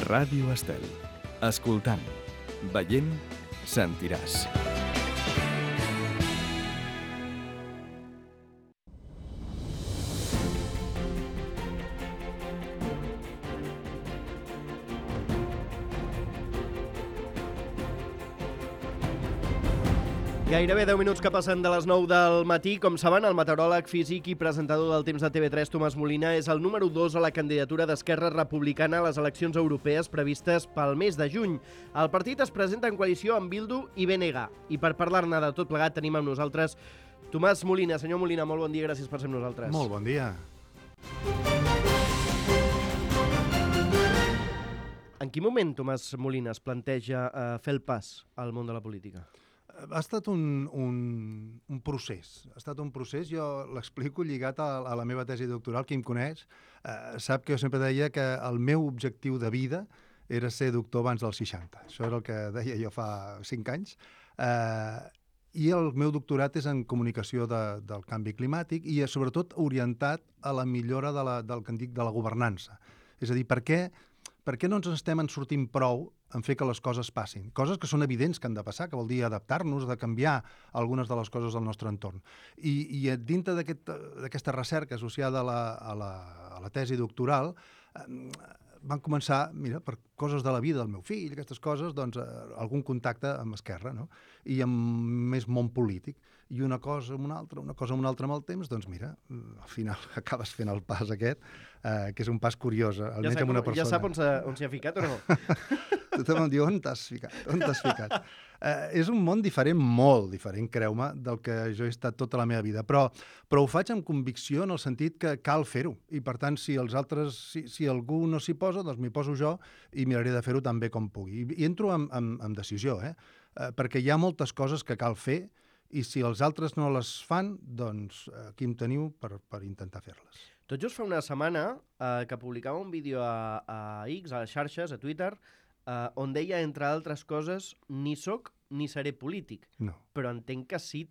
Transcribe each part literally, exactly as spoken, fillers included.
Ràdio Estel. Escoltant, veient, sentiràs. Gairebé deu minuts que passen de les nou del matí. Com saben, el meteoròleg, físic i presentador del Temps de T V tres, Tomàs Molina, és el número dos a la candidatura d'Esquerra Republicana a les eleccions europees previstes pel mes de juny. El partit es presenta en coalició amb Bildu i B N G. I per parlar-ne de tot plegat tenim amb nosaltres Tomàs Molina. Senyor Molina, molt bon dia, gràcies per ser amb nosaltres. Molt bon dia. En quin moment, Tomàs Molina, es planteja eh, fer el pas al món de la política? Ha estat un, un, un procés. Ha estat un procés, jo l'explico lligat a, a la meva tesi doctoral. Qui em coneix eh, sap que jo sempre deia que el meu objectiu de vida era ser doctor abans dels seixanta. Això era el que deia jo fa cinc anys. Eh, I el meu doctorat és en comunicació de, del canvi climàtic i sobretot orientat a la millora de la, del que en dic de la governança. És a dir, per què, per què no ens estem en sortint prou en fer que les coses passin? Coses que són evidents que han de passar, que vol dir adaptar-nos, de canviar algunes de les coses del nostre entorn. I, i dintre d'aquesta aquest, recerca associada a la, a la, a la tesi doctoral, eh, van començar, mira, per coses de la vida del meu fill, aquestes coses, doncs, eh, algun contacte amb Esquerra, no? I amb més món polític. I una cosa amb una altra, una cosa amb una altra amb el temps, doncs mira, al final acabes fent el pas aquest, eh, que és un pas curiós, almenys ja amb una persona. Ja sap on s'hi ha ficat o no? Tothom em diu, on t'has ficat? On t'has ficat? Eh, és un món diferent, molt diferent, creu-me, del que jo he estat tota la meva vida, però, però ho faig amb convicció en el sentit que cal fer-ho, i per tant, si els altres, si, si algú no s'hi posa, doncs m'hi poso jo i miraré de fer-ho tan bé com pugui. I, i entro amb, amb, amb decisió, eh? eh? Perquè hi ha moltes coses que cal fer, i si els altres no les fan, doncs aquí em teniu per, per intentar fer-les. Tot just fa una setmana eh, que publicava un vídeo a, a X, a les xarxes, a Twitter, eh, on deia, entre altres coses, ni soc ni seré polític. No. Però entenc que sí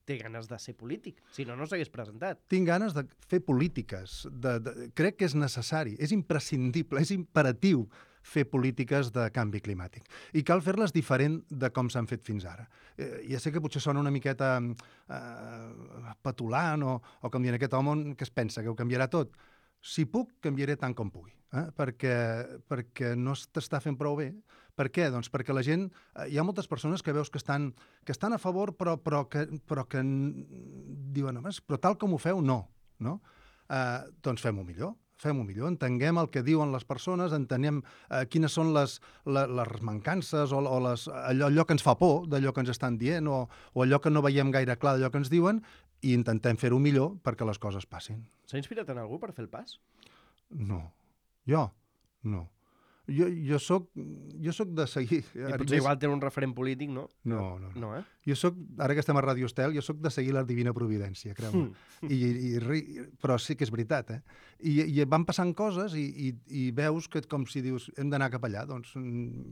té ganes de ser polític, si no, no s'hagués presentat. Tinc ganes de fer polítiques. De, de, crec que és necessari, és imprescindible, és imperatiu fer polítiques de canvi climàtic. I cal fer-les diferent de com s'han fet fins ara. Eh, ja sé que potser sona una miqueta eh, petulant o, o com dient aquest home que es pensa que ho canviarà tot. Si puc, canviaré tant com pugui, eh? perquè, perquè no t'està fent prou bé. Per què? Doncs perquè la gent... Eh, hi ha moltes persones que veus que estan, que estan a favor, però, però que, però que diuen, però tal com ho feu, no. no? Eh, doncs fem-ho millor. Fem-ho millor, entenguem el que diuen les persones, entenem eh, quines són les, les, les mancances o, o les, allò, allò que ens fa por d'allò que ens estan dient o, o allò que no veiem gaire clar d'allò que ens diuen i intentem fer-ho millor perquè les coses passin. S'ha inspirat en algú per fer el pas? No. Jo? No. Jo, jo, soc, jo soc de seguir... I potser igual té un referent polític, no? No, no. no. no eh? Jo soc, ara que estem a Ràdio Estel, jo soc de seguir la Divina Providència, creu-me. Mm. I, i, i, però sí que és veritat, eh? I, i van passant coses i, i, i veus que com si dius hem d'anar cap allà, doncs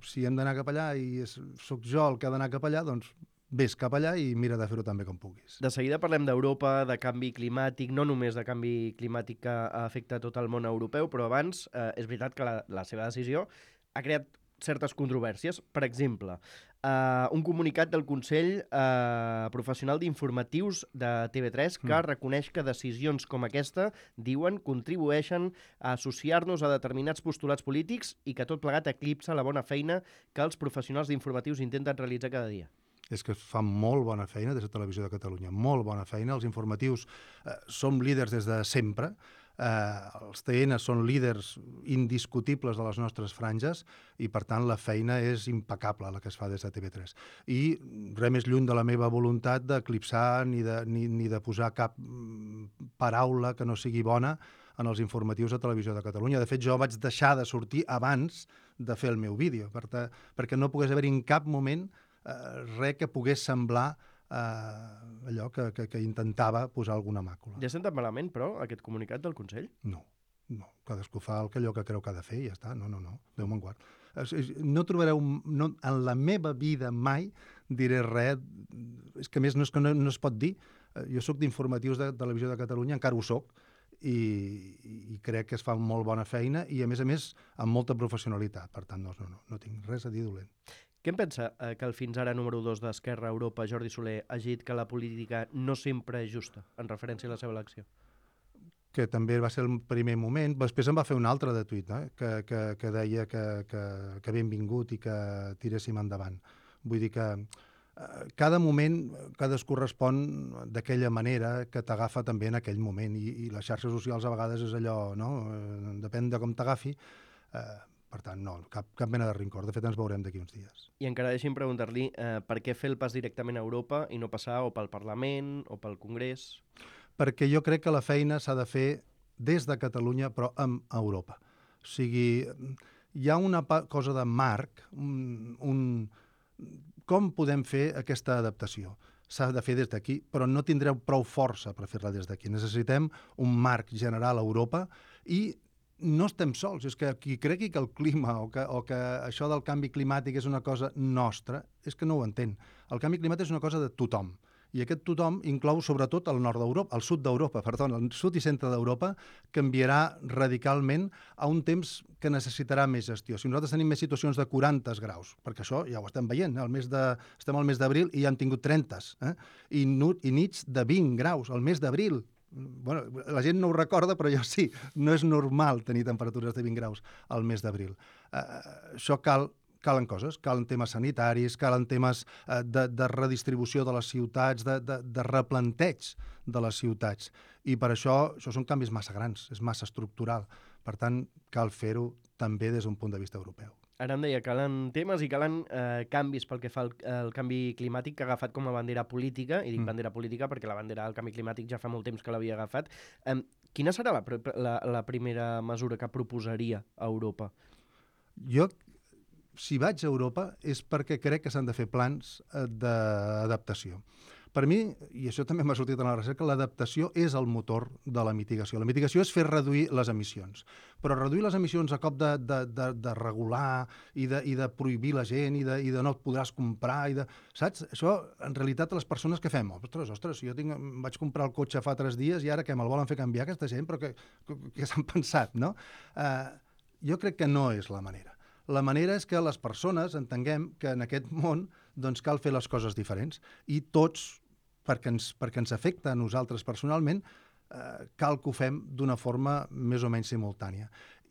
si hem d'anar cap allà i és, soc jo el que ha d'anar cap allà, doncs vés cap allà i mira de fer-ho tan bé com puguis. De seguida parlem d'Europa, de canvi climàtic, no només de canvi climàtic que afecta tot el món europeu, però abans eh, és veritat que la, la seva decisió ha creat certes controvèrsies. Per exemple, eh, un comunicat del Consell eh, Professional d'Informatius de T V tres que mm. reconeix que decisions com aquesta, diuen, contribueixen a associar-nos a determinats postulats polítics i que tot plegat eclipsa la bona feina que els professionals d'informatius intenten realitzar cada dia. És que fan molt bona feina des de Televisió de Catalunya, molt bona feina. Els informatius eh, som líders des de sempre, eh, els T N són líders indiscutibles de les nostres franges i, per tant, la feina és impecable la que es fa des de T V tres. I res més lluny de la meva voluntat d'eclipsar ni, de, ni, ni de posar cap paraula que no sigui bona en els informatius de Televisió de Catalunya. De fet, jo vaig deixar de sortir abans de fer el meu vídeo, per ta, perquè no pogués haver-hi en cap moment Uh, res que pogués semblar uh, allò que, que, que intentava posar alguna màcula. Ja sent tan malament, però, aquest comunicat del Consell? No, no. Cadascú fa el que allò que creu que ha de fer i ja està. No, no, no. Déu me'n guard. No trobareu... No, en la meva vida mai diré res... És que, a més, no, és que no, no es pot dir. Jo sóc d'informatius de Televisió de Catalunya, encara ho soc, i, i crec que es fa molt bona feina i, a més a més, amb molta professionalitat. Per tant, no, no, no tinc res a dir dolent. Què en pensa eh, que el fins ara número dos d'Esquerra Europa, Jordi Soler, hagi dit que la política no sempre és justa, en referència a la seva elecció? Que també va ser el primer moment. Després em va fer un altre de tuit, eh? que, que, que deia que, que, que benvingut i que tiréssim endavant. Vull dir que eh, cada moment cadascú respon d'aquella manera que t'agafa també en aquell moment i, i les xarxes socials a vegades és allò, no? Eh, depèn de com t'agafi. Eh, Per tant, no, cap, cap mena de rincor. De fet, ens veurem d'aquí uns dies. I encara deixi'm preguntar-li eh, per què fer el pas directament a Europa i no passar o pel Parlament o pel Congrés? Perquè jo crec que la feina s'ha de fer des de Catalunya, però amb Europa. O sigui, hi ha una cosa de marc, un, un, com podem fer aquesta adaptació? S'ha de fer des d'aquí, però no tindreu prou força per fer-la des d'aquí. Necessitem un marc general a Europa i no estem sols, és que qui cregui que el clima o que, o que això del canvi climàtic és una cosa nostra, és que no ho entén. El canvi climàtic és una cosa de tothom. I aquest tothom inclou sobretot el nord d'Europa, el sud d'Europa, perdó, el sud i centre d'Europa canviarà radicalment a un temps que necessitarà més gestió. Si nosaltres tenim més situacions de quaranta graus, perquè això ja ho estem veient, el mes de, estem al mes d'abril i ja hem tingut trenta, eh? I, I nits de vint graus al mes d'abril. Bueno, la gent no ho recorda, però jo sí. No és normal tenir temperatures de vint graus al mes d'abril. Uh, això cal, calen coses, calen temes sanitaris, calen temes uh, de, de redistribució de les ciutats, de, de, de replanteig de les ciutats. I per això, això són canvis massa grans, és massa estructural. Per tant, cal fer-ho també des d'un punt de vista europeu. Ara em deia, calen temes i calen eh, canvis pel que fa al, al canvi climàtic que ha agafat com a bandera política, i dic mm. bandera política perquè la bandera del canvi climàtic ja fa molt temps que l'havia agafat. Eh, quina serà la, la, la primera mesura que proposaria a Europa? Jo, si vaig a Europa, és perquè crec que s'han de fer plans d'adaptació. Per mi, i això també m'ha sortit en la recerca, l'adaptació és el motor de la mitigació. La mitigació és fer reduir les emissions. Però reduir les emissions a cop de, de, de, de regular i de, i de prohibir la gent i de, i de no et podràs comprar, i de, saps? Això, en realitat, les persones que fem, ostres, ostres, jo tinc, vaig comprar el cotxe fa tres dies i ara que me'l volen fer canviar aquesta gent, però què, què s'han pensat, no? Uh, jo crec que no és la manera. La manera és que les persones entenguem que en aquest món doncs, cal fer les coses diferents i tots, perquè ens, perquè ens afecta a nosaltres personalment, eh, cal que ho fem d'una forma més o menys simultània.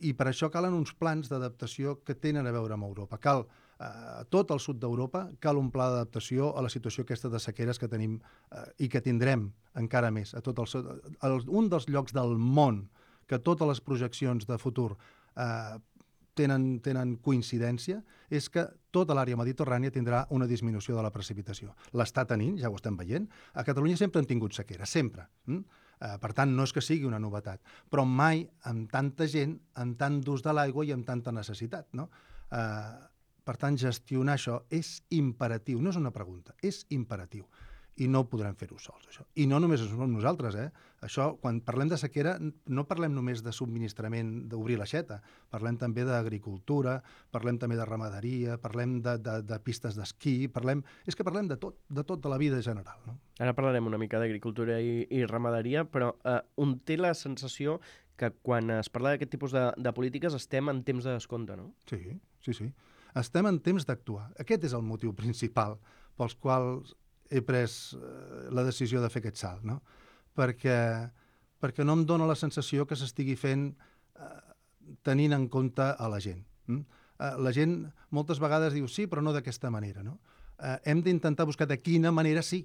I per això calen uns plans d'adaptació que tenen a veure amb Europa. Cal eh, tot el sud d'Europa, cal un pla d'adaptació a la situació aquesta de sequeres que tenim eh, i que tindrem encara més. A tot el, el, un dels llocs del món que totes les projeccions de futur eh, Tenen, tenen coincidència, és que tota l'àrea mediterrània tindrà una disminució de la precipitació. L'està tenint, ja ho estem veient. A Catalunya sempre han tingut sequera, sempre. Mm? Eh, per tant, no és que sigui una novetat, però mai amb tanta gent, amb tant d'ús de l'aigua i amb tanta necessitat. No? Eh, per tant, gestionar això és imperatiu, no és una pregunta, és imperatiu. I no podrem fer-ho sols, això. I no només som nosaltres, eh? Això, quan parlem de sequera, no parlem només de subministrament, d'obrir l'aixeta, parlem també d'agricultura, parlem també de ramaderia, parlem de, de, de pistes d'esquí, parlem... És que parlem de tot, de tot de la vida general, no? Ara parlarem una mica d'agricultura i, i ramaderia, però eh, un té la sensació que quan es parla d'aquest tipus de, de polítiques estem en temps de descompte, no? Sí, sí, sí. Estem en temps d'actuar. Aquest és el motiu principal pels quals he pres eh, la decisió de fer aquest salt, no? Perquè, perquè no em dóna la sensació que s'estigui fent eh, tenint en compte a la gent. Mm? Eh, la gent moltes vegades diu sí, però no d'aquesta manera, no? Eh, hem d'intentar buscar de quina manera sí,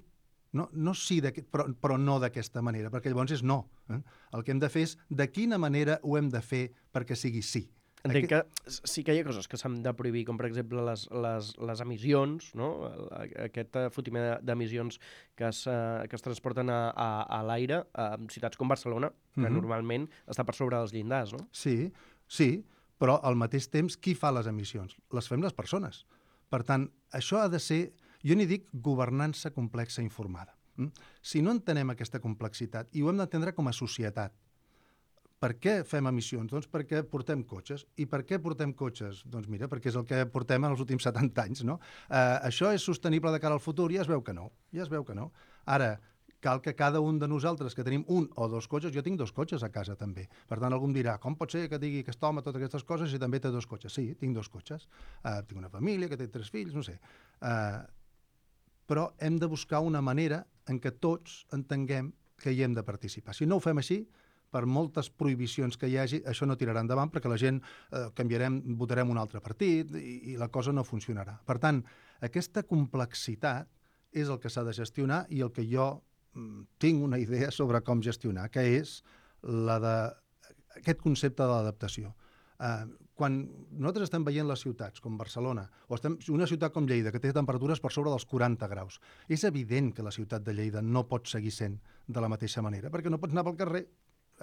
no, no sí, però, però no d'aquesta manera, perquè llavors és no. Eh? El que hem de fer és de quina manera ho hem de fer perquè sigui sí. Entenc que sí que hi ha coses que s'han de prohibir, com per exemple les, les, les emissions, no? Aquest fotiment d'emissions que, es, que es transporten a, a, a l'aire en ciutats com Barcelona, que mm-hmm. normalment està per sobre dels llindars, no? Sí, sí, però al mateix temps qui fa les emissions? Les fem les persones. Per tant, això ha de ser, jo n'hi dic, governança complexa informada. Mm? Si no entenem aquesta complexitat, i ho hem d'entendre com a societat, per què fem emissions? Doncs perquè portem cotxes. I per què portem cotxes? Doncs mira, perquè és el que portem en els últims setanta anys, no? Eh, això és sostenible de cara al futur? Ja es veu que no. Ja es veu que no. Ara, cal que cada un de nosaltres, que tenim un o dos cotxes, jo tinc dos cotxes a casa també, per tant algú em dirà, com pot ser que digui aquest home totes aquestes coses si també té dos cotxes? Sí, tinc dos cotxes, uh, tinc una família que té tres fills, no sé. Uh, però hem de buscar una manera en què tots entenguem que hi hem de participar. Si no ho fem així, per moltes prohibicions que hi hagi, això no tirarà endavant perquè la gent eh, canviarem, votarem un altre partit i, i la cosa no funcionarà. Per tant, aquesta complexitat és el que s'ha de gestionar i el que jo mm, tinc una idea sobre com gestionar, que és la de, aquest concepte de l'adaptació. Eh, quan nosaltres estem veient les ciutats, com Barcelona, o estem, una ciutat com Lleida, que té temperatures per sobre dels quaranta graus, és evident que la ciutat de Lleida no pot seguir sent de la mateixa manera, perquè no pots anar pel carrer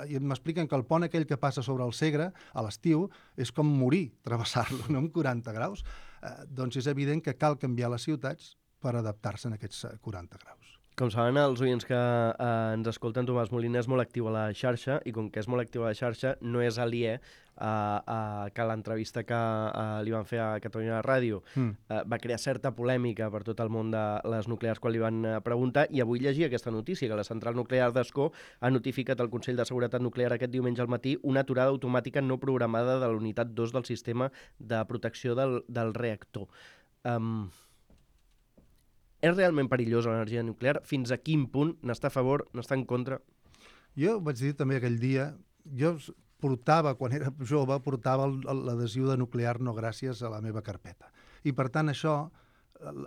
i m'expliquen que el pont aquell que passa sobre el Segre a l'estiu és com morir, travessar-lo, no amb quaranta graus, eh, doncs és evident que cal canviar les ciutats per adaptar-se a aquests quaranta graus. Com saben els oients que eh, ens escolten, Tomàs Molina és molt actiu a la xarxa i com que és molt actiu a la xarxa no és aliè a, a que l'entrevista que eh, li van fer a Catalunya Ràdio mm. eh, va crear certa polèmica per tot el món de les nuclears quan li van eh, preguntar, i avui llegia aquesta notícia, que la central nuclear d'Ascó ha notificat al Consell de Seguretat Nuclear aquest diumenge al matí una aturada automàtica no programada de la unitat dos del sistema de protecció del, del reactor. Um, És realment perillosa l'energia nuclear? Fins a quin punt n'està a favor, n'està en contra? Jo vaig dir també aquell dia, jo portava, quan era jove, portava l'adhesiu de nuclear no gràcies a la meva carpeta. I per tant això,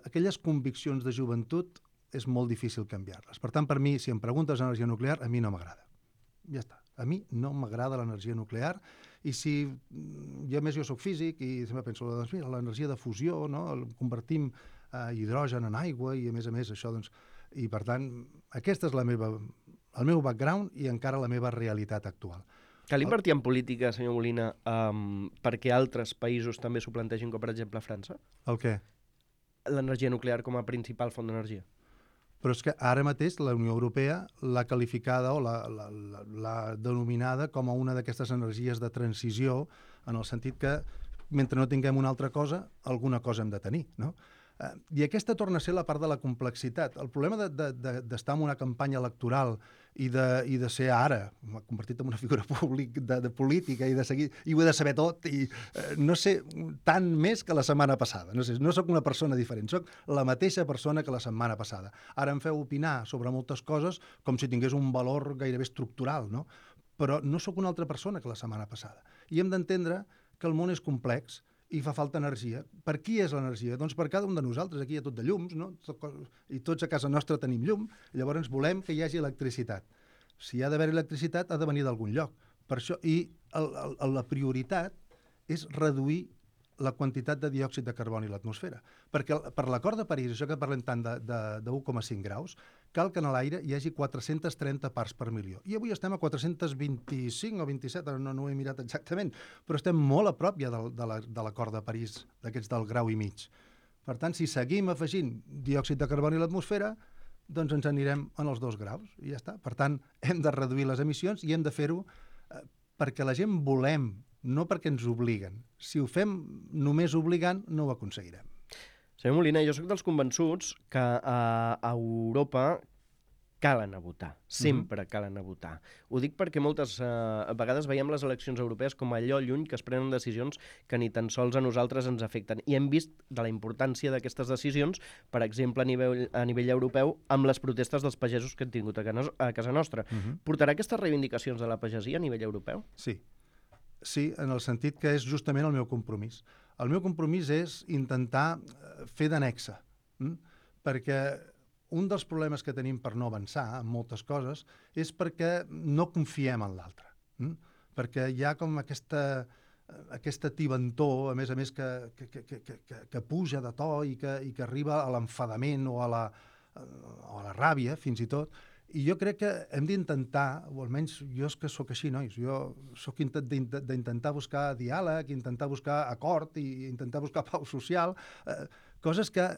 aquelles conviccions de joventut és molt difícil canviar-les. Per tant, per mi, si em preguntes energia nuclear, a mi no m'agrada. Ja està. A mi no m'agrada l'energia nuclear i si, jo a més jo soc físic i sempre penso, doncs mira, l'energia de fusió, no? El convertim a hidrogen en aigua i a més a més això, doncs, i per tant, aquesta és la meva, el meu background i encara la meva realitat actual. Cal invertir en política, senyor Molina, um, perquè altres països també s'ho plantegin, com per exemple França? El què? L'energia nuclear com a principal font d'energia. Però és que ara mateix la Unió Europea l'ha qualificada o l'ha denominada com a una d'aquestes energies de transició, en el sentit que mentre no tinguem una altra cosa, alguna cosa hem de tenir, no? Uh, I aquesta torna a ser la part de la complexitat. El problema d'estar de, de, de, en una campanya electoral i de, i de ser ara, m'ha convertit en una figura públic de, de política i de seguir, i ho he de saber tot, i uh, no sé tant més que la setmana passada. No sé, no sóc una persona diferent, sóc la mateixa persona que la setmana passada. Ara em feu opinar sobre moltes coses com si tingués un valor gairebé estructural, no? Però no sóc una altra persona que la setmana passada. I hem d'entendre que el món és complex i fa falta energia. Per qui és l'energia? Doncs per cada un de nosaltres. Aquí hi ha tot de llums, no? I tots a casa nostra tenim llum, i llavors volem que hi hagi electricitat. Si hi ha d'haver electricitat, ha de venir d'algun lloc. Per això, i el, el, la prioritat és reduir la quantitat de diòxid de carboni a l'atmosfera. Perquè per l'acord de París, això que parlem tant de, de, de u coma cinc graus, cal que en l'aire hi hagi quatre-centes trenta parts per milió. I avui estem a quatre-cents vint-i-cinc o vint-i-set, no, no ho he mirat exactament, però estem molt a prop ja de, de l'acord de París, d'aquests del grau i mig. Per tant, si seguim afegint diòxid de carboni a l'atmosfera, doncs ens anirem en els dos graus, i ja està. Per tant, hem de reduir les emissions i hem de fer-ho eh, perquè la gent volem, no perquè ens obliguen. Si ho fem només obligant, no ho aconseguirem. Senyor Molina, jo sóc dels convençuts que a, a Europa cal anar a votar. Sempre mm-hmm. cal anar a votar. Ho dic perquè moltes eh, vegades veiem les eleccions europees com allò lluny que es prenen decisions que ni tan sols a nosaltres ens afecten. I hem vist de la importància d'aquestes decisions, per exemple, a nivell, a nivell europeu, amb les protestes dels pagesos que han tingut a, a casa nostra. Mm-hmm. Portarà aquestes reivindicacions de la pagesia a nivell europeu? Sí. Sí, en el sentit que és justament el meu compromís. El meu compromís és intentar fer d'annexa, hm? perquè un dels problemes que tenim per no avançar en moltes coses és perquè no confiem en l'altre. Hm? Perquè hi ha com aquesta, aquesta tibantor, a més a més, que, que, que, que, que, que puja de to i que, i que arriba a l'enfadament o, a la, o a la ràbia, fins i tot. I jo crec que hem d'intentar, o almenys jo és que sóc així, nois, jo sóc d'intentar buscar diàleg, intentar buscar acord i intentar buscar pau social, eh, coses que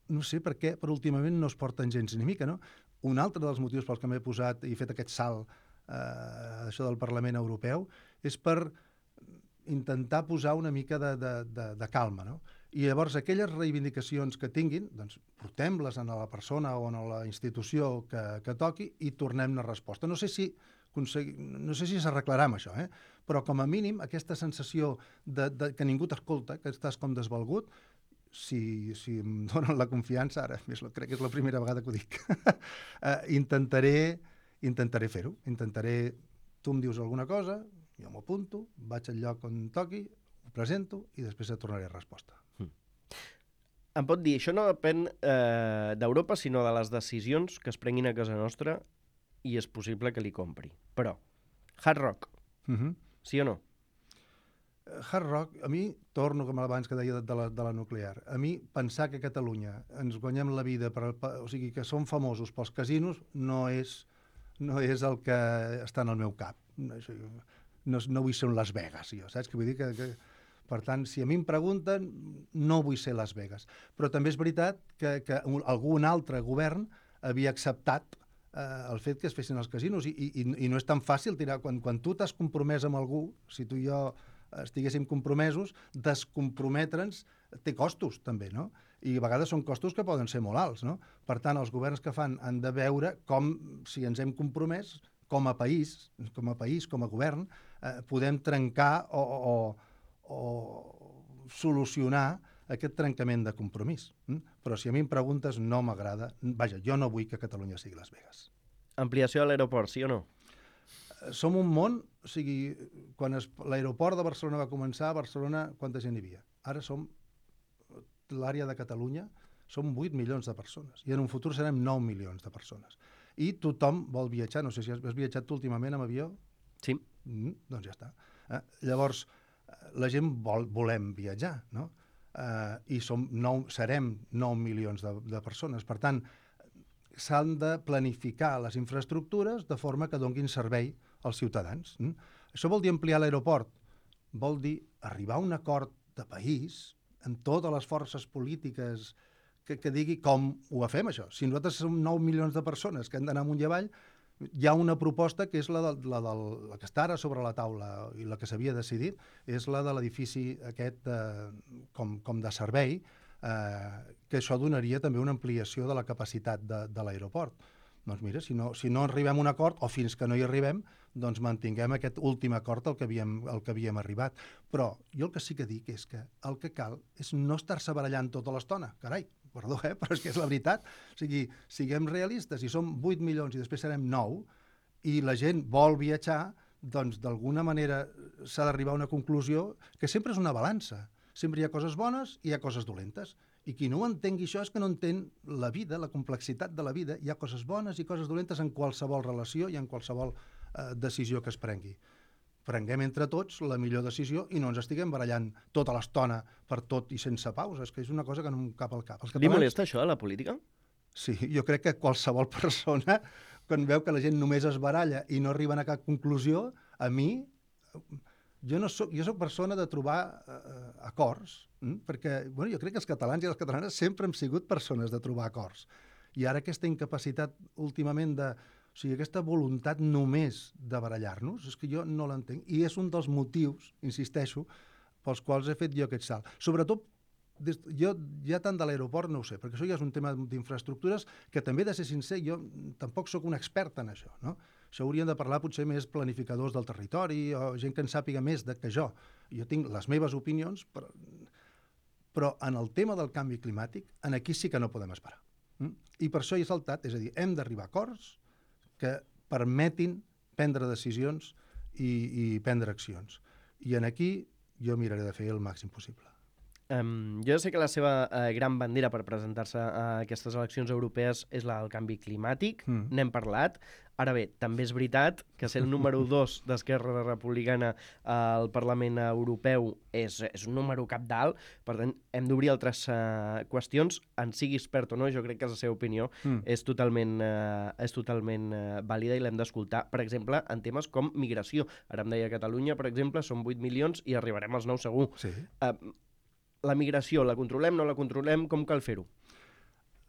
no sé per què, però últimament no es porten gens ni mica, no? Un altre dels motius pels que m'he posat i fet aquest salt eh, això del Parlament Europeu és per intentar posar una mica de, de, de, de calma, no? I llavors aquelles reivindicacions que tinguin, doncs portem-les a la persona o a la institució que, que toqui i tornem-ne resposta. No sé si no sé si s'arreglarà amb això, eh? Però com a mínim aquesta sensació de, de que ningú t'escolta, que estàs com desvalgut, si, si em donen la confiança, ara més, crec que és la primera vegada que ho dic, eh, intentaré, intentaré fer-ho. Intentaré, tu em dius alguna cosa, jo m'ho apunto, vaig al lloc on toqui, ho presento i després et tornaré resposta. Mm. Em pot dir, això no depèn eh, d'Europa, sinó de les decisions que es prenguin a casa nostra i és possible que li compri. Però, Hard Rock, Uh-huh. sí o no? Hard Rock, a mi, torno com abans que deia de la, de la nuclear, a mi pensar que a Catalunya ens guanyem la vida, per, per, o sigui, que som famosos pels casinos, no és, no és el que està en el meu cap. No, no, no vull ser un Las Vegas, jo, saps? Que vull dir que, que, per tant, si a mi em pregunten, no vull ser Las Vegas. Però també és veritat que, que algun altre govern havia acceptat eh, el fet que es fessin els casinos i, i, i no és tan fàcil tirar, quan, quan tu t'has compromès amb algú, si tu i jo estiguéssim compromesos, descomprometre'ns té costos també, no? I a vegades són costos que poden ser molt alts, no? Per tant, els governs que fan han de veure com, si ens hem compromès, com a país, com a país, com a govern, eh, podem trencar o, o, o solucionar aquest trencament de compromís. Mm? Però si a mi em preguntes, no m'agrada. Vaja, jo no vull que Catalunya sigui Las Vegas. Ampliació de l'aeroport, sí o no? Som un món, o sigui, quan es, l'aeroport de Barcelona va començar, a Barcelona quanta gent hi havia? Ara som, l'àrea de Catalunya, som vuit milions de persones, i en un futur serem nou milions de persones. I tothom vol viatjar, no sé si has, has viatjat tu últimament amb avió? Sí. Mm, doncs ja està. Eh? Llavors, la gent vol, volem viatjar, no? Eh, I som nou, serem nou milions de, de persones. Per tant, s'han de planificar les infraestructures de forma que donguin servei als ciutadans. Mm? Això vol dir ampliar l'aeroport, vol dir arribar a un acord de país amb totes les forces polítiques que, que digui com ho fem, això. Si nosaltres som nou milions de persones que han d'anar amunt i avall, hi ha una proposta que és la, de, la, del, la que està ara sobre la taula i la que s'havia decidit, és la de l'edifici aquest eh, com, com de servei, eh, que això donaria també una ampliació de la capacitat de, de l'aeroport. Doncs mira, si no, si no arribem a un acord, o fins que no hi arribem, doncs mantinguem aquest últim acord al que havíem, al que havíem arribat. Però jo el que sí que dic és que el que cal és no estar-se barallant tota l'estona. Carai, perdó, eh? Però és que és la veritat. O sigui, siguem realistes, si som vuit milions i després serem nou, i la gent vol viatjar, doncs d'alguna manera s'ha d'arribar a una conclusió que sempre és una balança. Sempre hi ha coses bones i hi ha coses dolentes. I qui no entengui això és que no entén la vida, la complexitat de la vida. Hi ha coses bones i coses dolentes en qualsevol relació i en qualsevol eh, decisió que es prengui. Prenguem entre tots la millor decisió i no ens estiguem barallant tota l'estona per tot i sense pausa. És que és una cosa que no em cap al cap. Els catalans... Li molesta això, a la política? Sí, jo crec que qualsevol persona, quan veu que la gent només es baralla i no arriben a cap conclusió, a mi... Jo, no soc, jo soc persona de trobar uh, acords, mm? perquè bueno, jo crec que els catalans i les catalanes sempre hem sigut persones de trobar acords. I ara aquesta incapacitat últimament de... O sigui, aquesta voluntat només de barallar-nos, és que jo no l'entenc. I és un dels motius, insisteixo, pels quals he fet jo aquest salt. Sobretot, des, jo ja tant de l'aeroport no ho sé, perquè això ja és un tema d'infraestructures que també, de ser sincer, jo tampoc sóc un expert en això, no? Això haurien de parlar potser més planificadors del territori o gent que en sàpiga més de que jo. Jo tinc les meves opinions, però, però en el tema del canvi climàtic, en aquí sí que no podem esperar. Mm? I per això hi he saltat, és a dir, hem d'arribar a acords que permetin prendre decisions i, i prendre accions. I en aquí jo miraré de fer el màxim possible. Um, jo sé que la seva uh, gran bandera per presentar-se a aquestes eleccions europees és la del canvi climàtic, mm. n'hem parlat. Ara bé, també és veritat que ser el número dos d'Esquerra Republicana al Parlament Europeu és, és un número capdalt, per tant, hem d'obrir altres uh, qüestions, en sigui expert o no, jo crec que la seva opinió mm. és totalment, uh, és totalment uh, vàlida i l'hem d'escoltar, per exemple, en temes com migració. Ara em deia Catalunya, per exemple, són vuit milions i arribarem als nou segur. Sí. Uh, La migració, la controlem, no la controlem? Com cal fer-ho?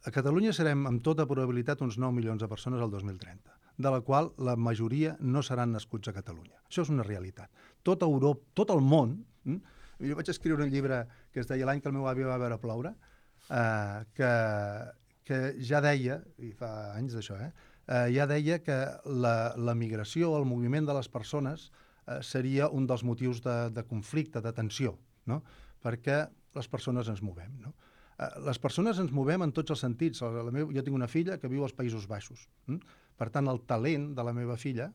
A Catalunya serem, amb tota probabilitat, uns nou milions de persones al dos mil trenta, de la qual la majoria no seran nascuts a Catalunya. Això és una realitat. Tot Europa, tot el món, Jo vaig escriure un llibre que es deia L'any que el meu avi va veure ploure, eh, que, que ja deia, i fa anys d'això, eh, eh, ja deia que la, la migració, el moviment de les persones eh, seria un dels motius de, de conflicte, de tensió, no? Perquè les persones ens movem, no? Eh, les persones ens movem en tots els sentits. La, la meva, jo tinc una filla que viu als Països Baixos. Hm? Per tant, el talent de la meva filla,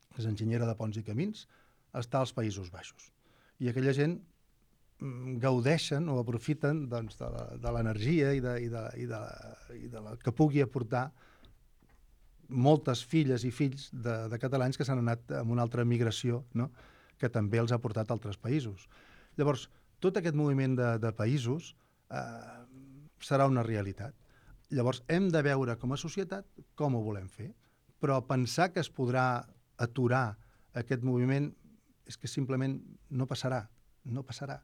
que és enginyera de ponts i camins, està als Països Baixos. I aquella gent gaudeixen o aprofiten doncs, de l'energia i, de, i, de, i, de, i de la que pugui aportar moltes filles i fills de, de catalans que s'han anat amb una altra migració, no? Que també els ha portat a altres països. Llavors, tot aquest moviment de, de països eh, serà una realitat. Llavors, hem de veure com a societat com ho volem fer, però pensar que es podrà aturar aquest moviment és que simplement no passarà, no passarà.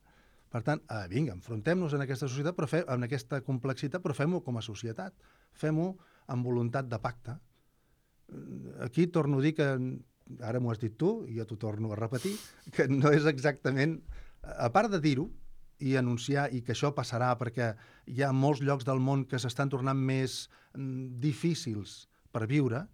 Per tant, eh, vinga, enfrontem-nos en aquesta societat, però fe, en aquesta complexitat, però fem-ho com a societat. Fem-ho amb voluntat de pacte. Aquí torno a dir que, ara m'ho has dit tu, i jo t'ho torno a repetir, que no és exactament, a part de dir-ho i anunciar i que això passarà perquè hi ha molts llocs del món que s'estan tornant més mm, difícils per viure,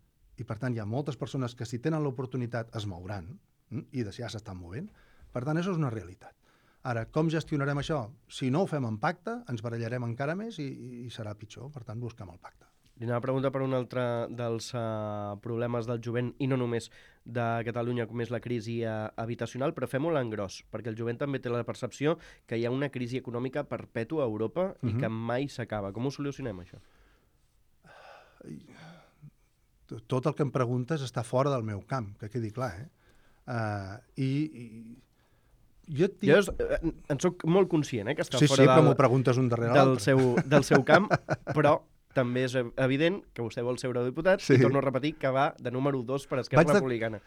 i per tant hi ha moltes persones que si tenen l'oportunitat es mouran, mm, i ja s'estan movent. Per tant, això és una realitat. Ara, com gestionarem això? Si no ho fem en pacte, ens barallarem encara més i, i serà pitjor. Per tant, busquem el pacte. Li anava a preguntar per un altre dels uh, problemes del jovent, i no només de Catalunya, com és la crisi uh, habitacional, però fem-ho l'engròs, perquè el jovent també té la percepció que hi ha una crisi econòmica perpètua a Europa i uh-huh. que mai s'acaba. Com ho solucionem, això? Tot el que em preguntes està fora del meu camp, que quedi clar, eh? Uh, i, i jo, tinc... jo en soc molt conscient, eh, que està sí, fora sí, del, m'ho preguntes un darrere del, l'altre. seu, del seu camp, però també és evident que vostè vol ser eurodiputat, sí. I torno a repetir que va de número dos per Esquerra vaig de, Republicana.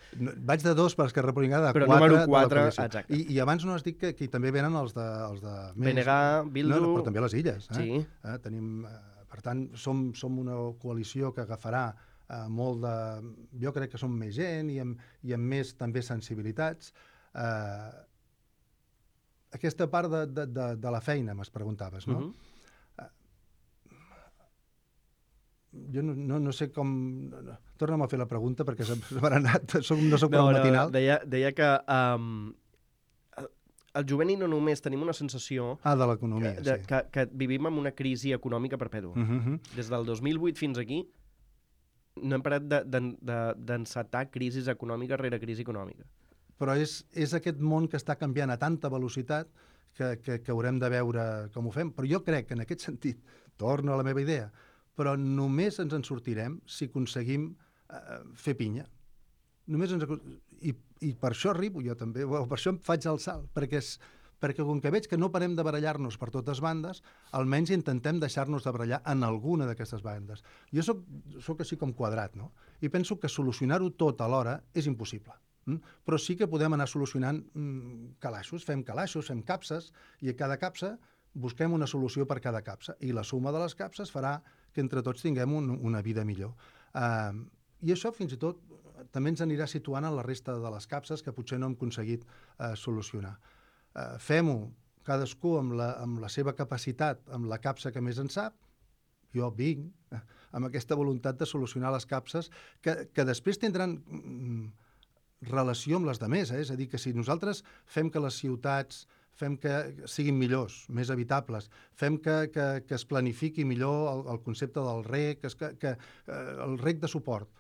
Vaig de dos per Esquerra Republicana, de però quatre, número quatre, de exacte. I, I abans no has dit que aquí també venen els de... Els de B N G, Bildu... No, no, però també les illes. Eh? Sí. Eh, tenim, eh, per tant, som, som una coalició que agafarà eh, molt de... Jo crec que som més gent i amb, i amb més també sensibilitats. Eh, aquesta part de, de, de, de la feina, m'es preguntaves, no? Uh-huh. Jo no, no, no sé com... No, no. Torna'm a fer la pregunta perquè se m'ha anat, soc, no soc no, prou no, matinal. Deia, deia que um, el jovent i no només tenim una sensació ah, de l'economia, que, sí. que, que vivim en una crisi econòmica perpètua. Uh-huh. Des del dos mil vuit fins aquí no hem parat d'encetar de, de, crisis econòmica rere crisi econòmica. Però és, és aquest món que està canviant a tanta velocitat que, que, que haurem de veure com ho fem. Però jo crec que en aquest sentit, torno a la meva idea, però només ens en sortirem si aconseguim eh, fer pinya. Només ens... I, I per això arribo jo també, bueno, per això em faig el salt, perquè, és, perquè com que veig que no parem de barallar-nos per totes bandes, almenys intentem deixar-nos de barallar en alguna d'aquestes bandes. Jo soc, soc així com quadrat, no? I penso que solucionar-ho tot alhora és impossible. Mm? Però sí que podem anar solucionant mm, calaixos, fem calaixos, fem capses, i a cada capsa busquem una solució per cada capsa, i la suma de les capses farà que entre tots tinguem un, una vida millor. Uh, I això fins i tot també ens anirà situant en la resta de les capses que potser no hem aconseguit uh, solucionar. Uh, Fem-ho cadascú amb la, amb la seva capacitat, amb la capsa que més en sap. Jo vinc eh, amb aquesta voluntat de solucionar les capses que, que després tindran mm, relació amb les demés. Eh? És a dir, que si nosaltres fem que les ciutats fem que siguin millors, més habitables, fem que, que, que es planifiqui millor el, el concepte del rec, que, que, que eh, el rec de suport.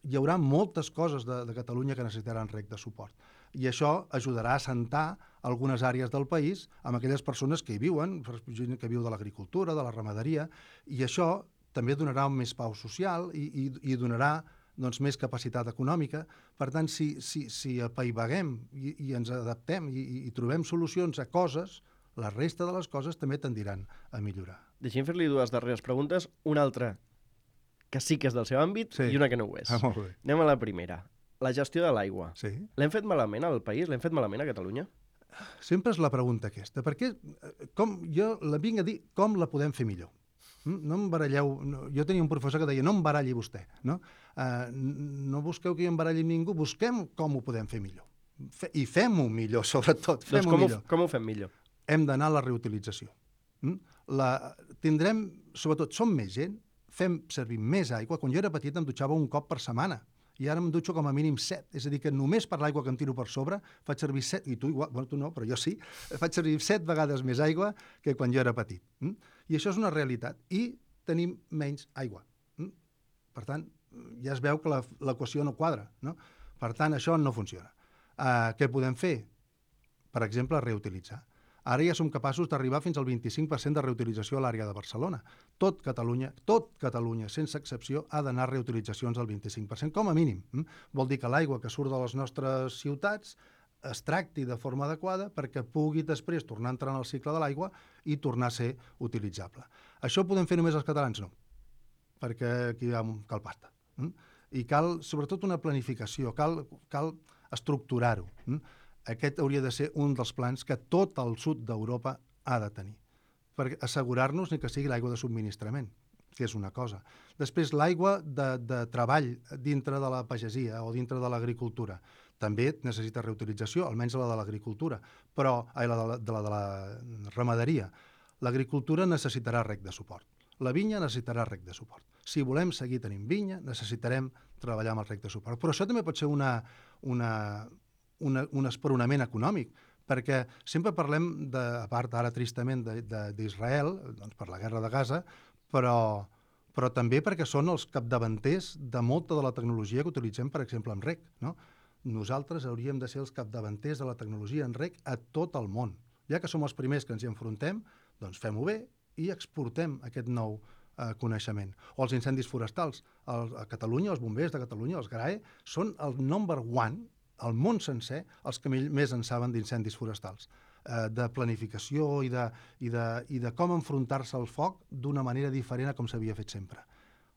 Hi haurà moltes coses de, de Catalunya que necessitaran rec de suport. I això ajudarà a assentar algunes àrees del país amb aquelles persones que hi viuen, gent que viu de l'agricultura, de la ramaderia, i això també donarà més pau social i, i, i donarà doncs, més capacitat econòmica. Per tant, si, si, si apaivaguem i, i ens adaptem i, i trobem solucions a coses, la resta de les coses també tendiran a millorar. Deixem fer-li dues darreres preguntes. Una altra que sí que és del seu àmbit, sí, i una que no ho és. Ah, molt bé. Anem a la primera. La gestió de l'aigua. Sí. L'hem fet malament al país? L'hem fet malament a Catalunya? Sempre és la pregunta aquesta. Perquè com, jo la vinc a dir com la podem fer millor. No em baralleu... No, jo tenia un professor que deia no em baralli vostè. No, uh, no busqueu que hi embaralli ningú, busquem com ho podem fer millor. Fe, I fem-ho millor, sobretot, Doncs fem-ho com, ho, millor. com ho fem millor? Hem d'anar a la reutilització. Mm? La, tindrem, sobretot, som més gent, fem servir més aigua. Quan jo era petit em dutxava un cop per setmana, i ara em dutxo com a mínim set. És a dir, que només per l'aigua que em tiro per sobre faig servir set, i tu igual, bueno, tu no, però jo sí, faig servir set vegades més aigua que quan jo era petit. Mm? I això és una realitat. I tenim menys aigua. Mm? Per tant, ja es veu que l'equació no quadra. No? Per tant, això no funciona. Uh, què podem fer? Per exemple, reutilitzar. Ara ja som capaços d'arribar fins al vint-i-cinc per cent de reutilització a l'àrea de Barcelona. Tot Catalunya, tot Catalunya, sense excepció, ha d'anar a reutilitzacions al vint-i-cinc per cent, com a mínim. Mm? Vol dir que l'aigua que surt de les nostres ciutats es tracti de forma adequada perquè pugui després tornar a entrar en el cicle de l'aigua i tornar a ser utilitzable. Això ho podem fer només els catalans? No, perquè aquí hi ha, cal pasta. Mm? I cal, sobretot, una planificació, cal, cal estructurar-ho. Mm? Aquest hauria de ser un dels plans que tot el sud d'Europa ha de tenir, per assegurar-nos ni que sigui l'aigua de subministrament, que és una cosa. Després, l'aigua de, de treball dintre de la pagesia o dintre de l'agricultura. També necessita reutilització, almenys la de l'agricultura, però ai, la, de la, de la de la ramaderia. L'agricultura necessitarà rec de suport. La vinya necessitarà rec de suport. Si volem seguir tenint vinya, necessitarem treballar amb el rec de suport. Però això també pot ser una... una Una, un esperonament econòmic, perquè sempre parlem, de, a part ara tristament d'Israel, doncs per la guerra de Gaza, però, però també perquè són els capdavanters de molta de la tecnologia que utilitzem, per exemple, en rec. No? Nosaltres hauríem de ser els capdavanters de la tecnologia en rec a tot el món. Ja que som els primers que ens hi enfrontem, doncs fem-ho bé i exportem aquest nou eh, coneixement. O els incendis forestals. El, a Catalunya, els bombers de Catalunya, els GRAE, són el number one al món sencer, els que més en saben d'incendis forestals, eh, de planificació i de, i de, i de com enfrontar-se al foc d'una manera diferent a com s'havia fet sempre.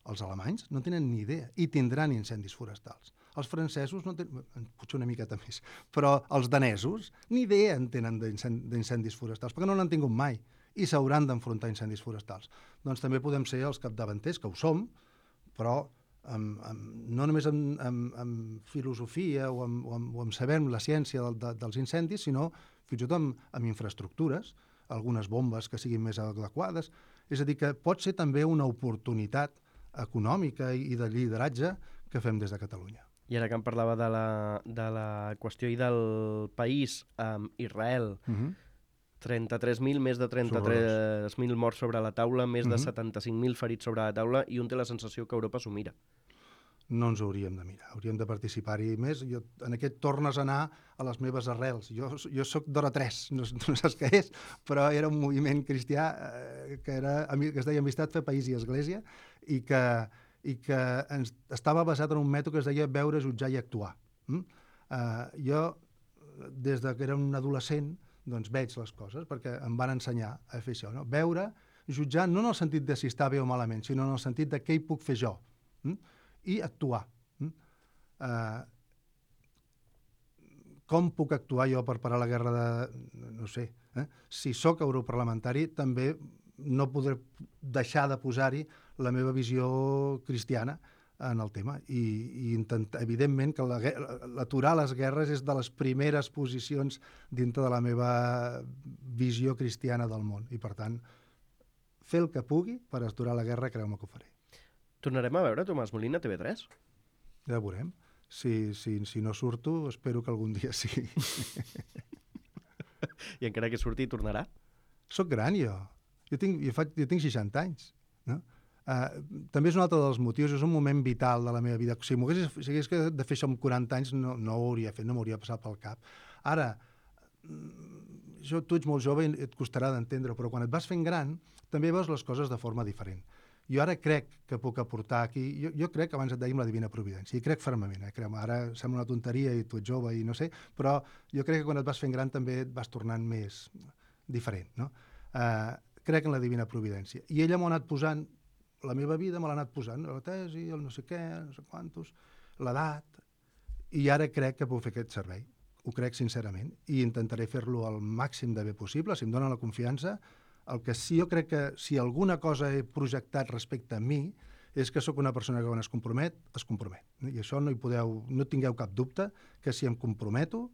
Els alemanys no tenen ni idea i tindran incendis forestals. Els francesos no tenen, potser una miqueta més, però els danesos ni idea en tenen d'incendis forestals, perquè no n'han tingut mai i s'hauran d'enfrontar a incendis forestals. Doncs també podem ser els capdavanters, que ho som, però Amb, amb, no només amb, amb, amb filosofia o amb, o amb, o amb saber la ciència del, de, dels incendis, sinó fins i tot amb, amb infraestructures, algunes bombes que siguin més adequades. És a dir, que pot ser també una oportunitat econòmica i, i de lideratge que fem des de Catalunya. I ara que em parlava de la, de la qüestió i del país, amb Israel, Uh-huh. trenta-tres mil, més de trenta-tres mil morts sobre la taula, més de Mhm. setanta-cinc mil ferits sobre la taula, i un té la sensació que Europa s'ho mira. No ens hauríem de mirar, hauríem de participar-hi més. Jo, en aquest tornes a anar a les meves arrels. Jo, jo soc d'Hora tres, no, no saps què és, però era un moviment cristià eh, que, era, que es deia Amistat, Fe, País i Església, i que, i que ens, estava basat en un mètode que es deia veure, jutjar i actuar. Mm? Eh, jo, des de que era un adolescent, doncs veig les coses, perquè em van ensenyar a fer això, no? Veure, jutjar, no en el sentit de si està bé o malament, sinó en el sentit de què hi puc fer jo, mm? I actuar. Mm? Uh, com puc actuar jo per parar la guerra de... no sé, eh? Si sóc europarlamentari, també no podré deixar de posar-hi la meva visió cristiana en el tema, i, i intentar, evidentment que l'aturar les guerres és de les primeres posicions dintre de la meva visió cristiana del món, i per tant fer el que pugui per aturar la guerra, creu-me que ho faré. Tornarem a veure Tomàs Molina a T V tres? Ja veurem. Si, si, si no surto, espero que algun dia sí. I encara que surti, tornarà? Soc gran, jo. Jo tinc, jo faig, jo tinc seixanta anys, no? Uh, també és un altre dels motius, és un moment vital de la meva vida. Si m'hagués si hagués de fer això amb quaranta anys, no, no ho hauria fet, no m'hauria passat pel cap. Ara, jo, tu ets molt jove i et costarà d'entendre, però quan et vas fent gran, també veus les coses de forma diferent. Jo ara crec que puc aportar aquí, jo, jo crec que abans et dèiem la divina providència, i crec fermament, eh? Crec, ara sembla una tonteria i tu ets jove i no sé, però jo crec que quan et vas fent gran també et vas tornant més diferent, no? Uh, crec en la divina providència. I ella m'ho ha anat posant, la meva vida me l'ha anat posant, la tesi, el no sé què, no sé quantos, l'edat, i ara crec que puc fer aquest servei. Ho crec sincerament, i intentaré fer-lo al màxim de bé possible, si em donen la confiança. El que sí, jo crec que si alguna cosa he projectat respecte a mi és que sóc una persona que quan es compromet, es compromet. I això no hi podeu, no tingueu cap dubte, que si em comprometo,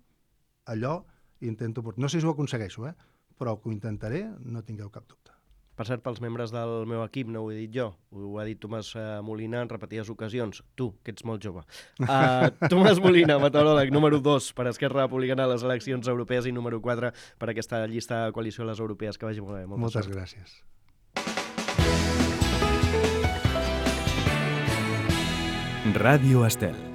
allò intento portar. No sé si ho aconsegueixo, eh? Però que ho intentaré, no tingueu cap dubte. Per cert, pels membres del meu equip, no ho he dit jo, ho ha dit Tomàs Molina en repetides ocasions. Tu, que ets molt jove. Uh, Tomàs Molina, meteoròleg, número dos per Esquerra Republicana a les eleccions europees i número quatre per aquesta llista de coalició a les europees. Que vagi molt bé. Moltes gràcies. Ràdio Estel.